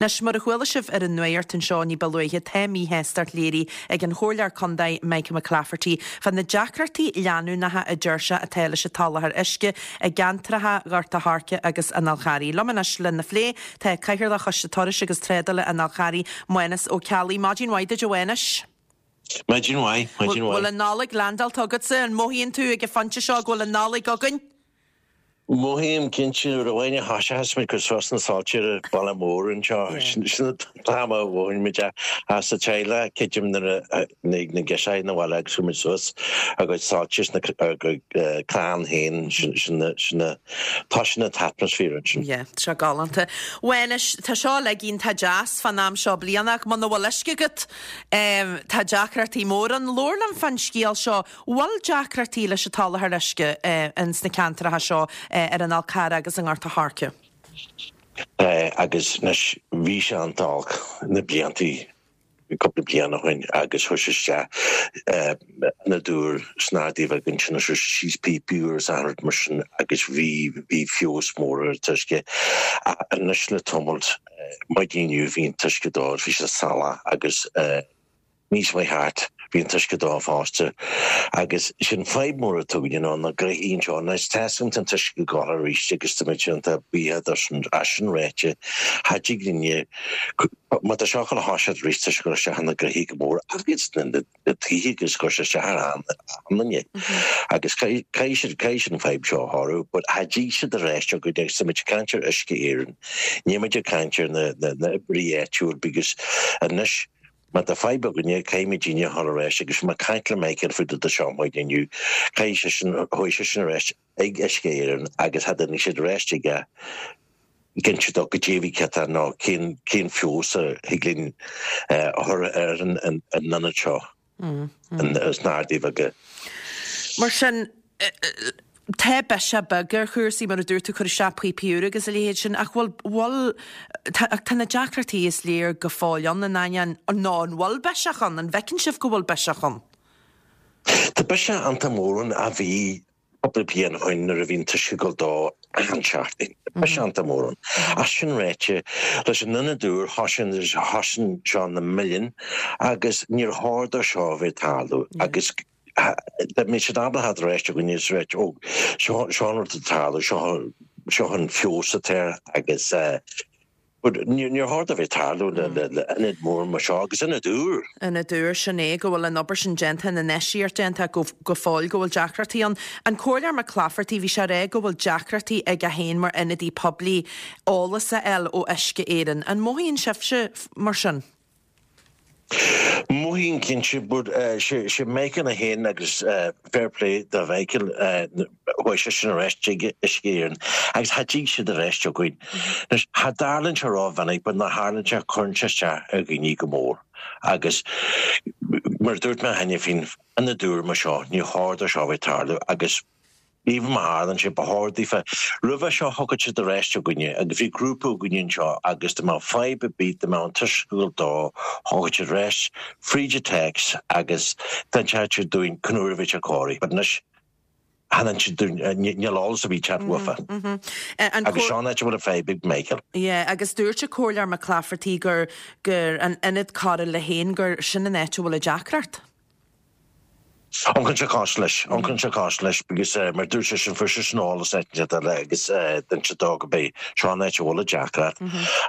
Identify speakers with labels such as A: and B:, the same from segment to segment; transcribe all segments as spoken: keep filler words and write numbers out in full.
A: Anois mar a chuala sibh ar an nuacht anseo ní ba luaithe tá míshástacht léirithe ag an Chomhairleoir Contae Michael McClafferty fá na deacrachtaí leanúnacha a deir sé atá leis an tsoláthar uisce i gceantracha Ghort a' Choirce agus an Fhál Charraigh. Liom anois lena phlé tá Cathaoirleach Choiste Turais agus Trádála an Fháil Charraigh Mánas Ó Ceallaigh. Maidin mhaith duit a Mhánais.
B: Maidin mhaith, maidin mhaith.
A: Bhfuil an Nollaig landáilte agatsa an mothaíonn tú ag an phointe seo go bhfuil an Nollaig againn?
B: Mothaím cinnte nuair a bhain a thoiseachas muid go suas na soilse ar Baile Mór anseo sin an t-am a mhothaíonn muid as sa teaghlach creidim nuair a na girseachaí na bhaile agus chuaigh muid suas agus soilse na clann féin sin sin tá sin an t-atmaisféar ansin.
A: Yeah, tá sé galánta. Mhánais, tá seo uilig iontach deas fán am seo bliana ach muna bhfuil uisce agat tá deacrachtaí mór ann. Labhair liom fán scéal seo, bhfuil deacrachtaí leis an tsoláthar uisce ins na ceantracha seo ar an Fhál Carrach agus i nGort a' Choirce?
B: Agus anois bhí sé an-olc na bliantaí cúpla bliain ó shin agus chuir sé isteach ionad úr sna hArdaí Bheaga ansin chuir sé síos píopaí úr is achan rud mar sin agus bhí bhí feabhas mór ar an t-uisce. Anois le tamalt maidin inniu bhí an t-uisce dó bhí sé salach agus níos mé thart bhí an t-uisce dó fosta agus sin fadhb mór atá againn ná na gréithí anseo is teastaíonn an t-uisce go gach arís agus tá muid iontach buíoch as as sin ráite cha dtig linne má tá seo chun a thoiseacht arís tá sé ag cur isteach ar na gréithí go mór agus na na tithe agus cur isteach ar an duine agus caithfidh siad caithfidh siad an fadhb seo a shárú but cha dtig siad ar ais go agus tá muid ag caint ar Uisce Éireann níl muid ag caint ar na na na oibrí áitiúil because anois má tá fadhb againne caithfimid daoine a chur ar ais agus má caint le Michael faoi do seo maidin inniu caithfidh sé sin chuaigh sé sin ar ais ag Uisce Éireann agus cha dtáinig siad ar ais aige cinnte dó go dtí céta nó cén cén feabhas a thig linn a chur ar an an an ionad seo sna hArdaí Bheaga.
A: Mar sin tá biseach beag ar chúrsaí mar a dúirt tú cur isteach píopaí úra agus a leithéid sin ach bhfuil bhfuil tá na deacrachtaí is léir go fóill ann in ainneoin nó an bhfuil biseach ann an bhfeiceann sibh go bhfuil biseach ann?
B: Tá biseach iontach mór ann a bhí cúpla bliain ó shin nuair a bhí an t-uisce ag dul dó achan seachtain. Biseach iontach mór ann. As sin ráite leis an ionad úr thosaigh thosaigh seo na milliún agus níor chóir dó seo a bheith ag tarlú agus dá mbeadh siad ábalta ar ais againn is ráit ó seo seo an rud atá ag tarlú seo seo an feabhas atá air agus but níor níor chóir dó bheith ag tarlú le le le ionad mór mar seo agus ionad úr.
A: Ionad úr sin é go bhfuil an obair sin déanta an infheistíocht déanta go go fóill go bhfuil deacrachtaí ann. An Comhairleoir McClafferty bhí sé ag rá go bhfuil deacrachtaí aige féin mar ionadaí poiblí eolas a fháil ó Uisce Éireann. An mothaíonn sibhse mar sin?
B: Mothaím cinnte but sé sé Michael a haon agus fair play do Mhichael chuaigh sé sin ar ais chuig Uisce Éireann agus cha dtig siad ar ais againn. Anois cha dtarlaíonn sé rómhinic but nuair a tharlaíonn sé cuireann sé isteach ar dhaoine go mór agus mar a dúirt mé cheana féin ionad úr mar seo ní chóir dó seo a bheith ag tarlú agus even má tharlaíonn sé ba chóir daofa roimhe seo thiocfadh siad ar ais againne agus bhí grúpa againne anseo agus dá mbeadh fadhb ar bith dá mbeadh an t-uisce ag dul dó thiocfadh siad ar ais fríd an text agus d'inseodh siad dúinn cén uair a bheadh sé cóirithe but anois chan siad dúinn níl eolas ar bith ag teacht uafa. Agus seo an áit a bhfuil an fadhb ag Michael.
A: Yeah, agus dúirt an Comhairleoir McClafferty gur gur an ionad cóireála féin gur sin an áit a bhfuil an deacracht.
B: Amharcann sé cosúil leis, amharcann sé cosúil leis because mar dúirt sé sin fuair sé sin eolas áit eile agus d'inis sé dó go bé seo an áit a bhfuil an deacracht.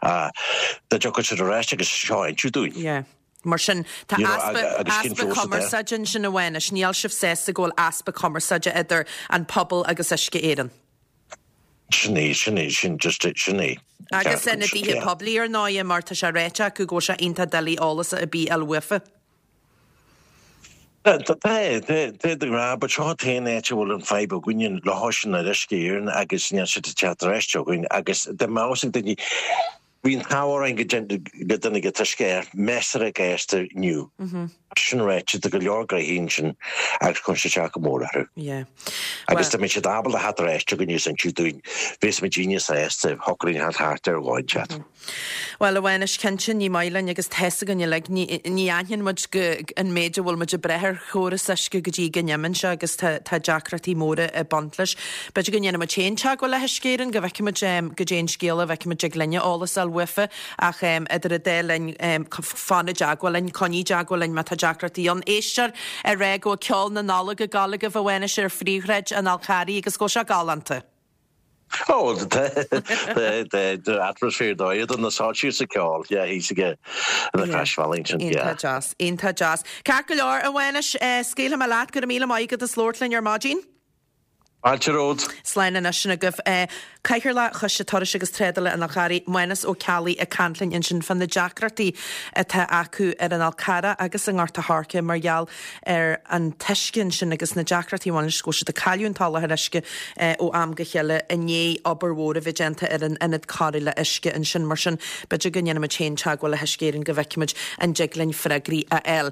B: Dá dtiocfadh siad ar ais agus seo a inseadh dúinn.
A: Yeah. Mar sin tá easpa easpa cumarsáide ansin a Mhánais, níl sibh sásta go bhfuil easpa cumarsáide idir an pobal agus Uisce Éireann.
B: Sin é, sin é, sin just sin é.
A: Agus ionadaithe poiblí ar ndóigh mar tá sé ráite acu go bhfuil sé iontach doiligh eolas ar bith a fháil uafa.
B: Tá tá de ghnáth, but seo an t-aon áit a bhfuil an fadhb againne le hais sin ar Uisce Éireann agus níl siad ag teacht ar ais againn agus dá mbeadh ag daoine bhí an t-ádh orainn go go dtáinig an t-uisce measartha gasta inniu. Sin ráite, tá go leor gnoithí ansin agus cuireann sé isteach go mór orthu.
A: Yeah.
B: Agus dá mbeadh siad ábalta theacht ar ais chugainn is insiú dúinn, bheadh muid daoine sásta shocraigh theacht thart ar bháid chat.
A: Bhuel, a Mhánais, cinnte ní maith linn agus tá's againn uilig, ní ní aithníonn muid go an méid a bhfuil muid ag brath ar chóras uisce go dtí go n-imíonn sé agus tá tá deacrachtaí móra ag baint leis. B'fhéidir go ndéanfaidh muid féin teagmháil le hUisce Éireann, go bhfeicfidh muid goidé an scéal, a bhfeicfidh muid ag linne eolas a fháil uafa ach idir an dá linn fan i dteagmháil linn, coinnigh i dteagmháil linn má tá deacrachtaí ann. Éisteoir ag rá go bhfuil ceol na Nollag ag gabháil agaibh a Mhánais ar phríomhshráid an Fhál Charraigh agus go bhfuil sé galánta.
B: Ó the atmosphere dóigh do na soilsí sa ceol, yeah, thíos aige na Croisbhealaí sin, yeah.
A: Iontach deas, iontach deas. Ceart go leor, a Mhánais, scaoilfidh mé leat, go raibh míle maith agat as labhairt linn ar maidin.
B: Fáilte romhat.
A: Slán anois sin agaibh. Cathaoirleach Choiste Turais agus Trádála an Fháil Charraigh, Mánas Ó Ceallaigh ag caint linn ansin fá na deacrachtaí atá acu ar an Fhál Carrach agus i nGort a' Choirce mar gheall ar an t-uisce ansin agus na deacrachtaí a bhaineann leis go bhfuil siad ag cailleadh an tsoláthar uisce ó am go chéile i ndiaidh obair mhór a bheith déanta ar an ionad cóireála uisce ansin. Mar sin, b'fhéidir go ndéanfaimid féin teagmháil le hUisce Éireann go bhfeicfimid an dtig linn freagraí a fháil.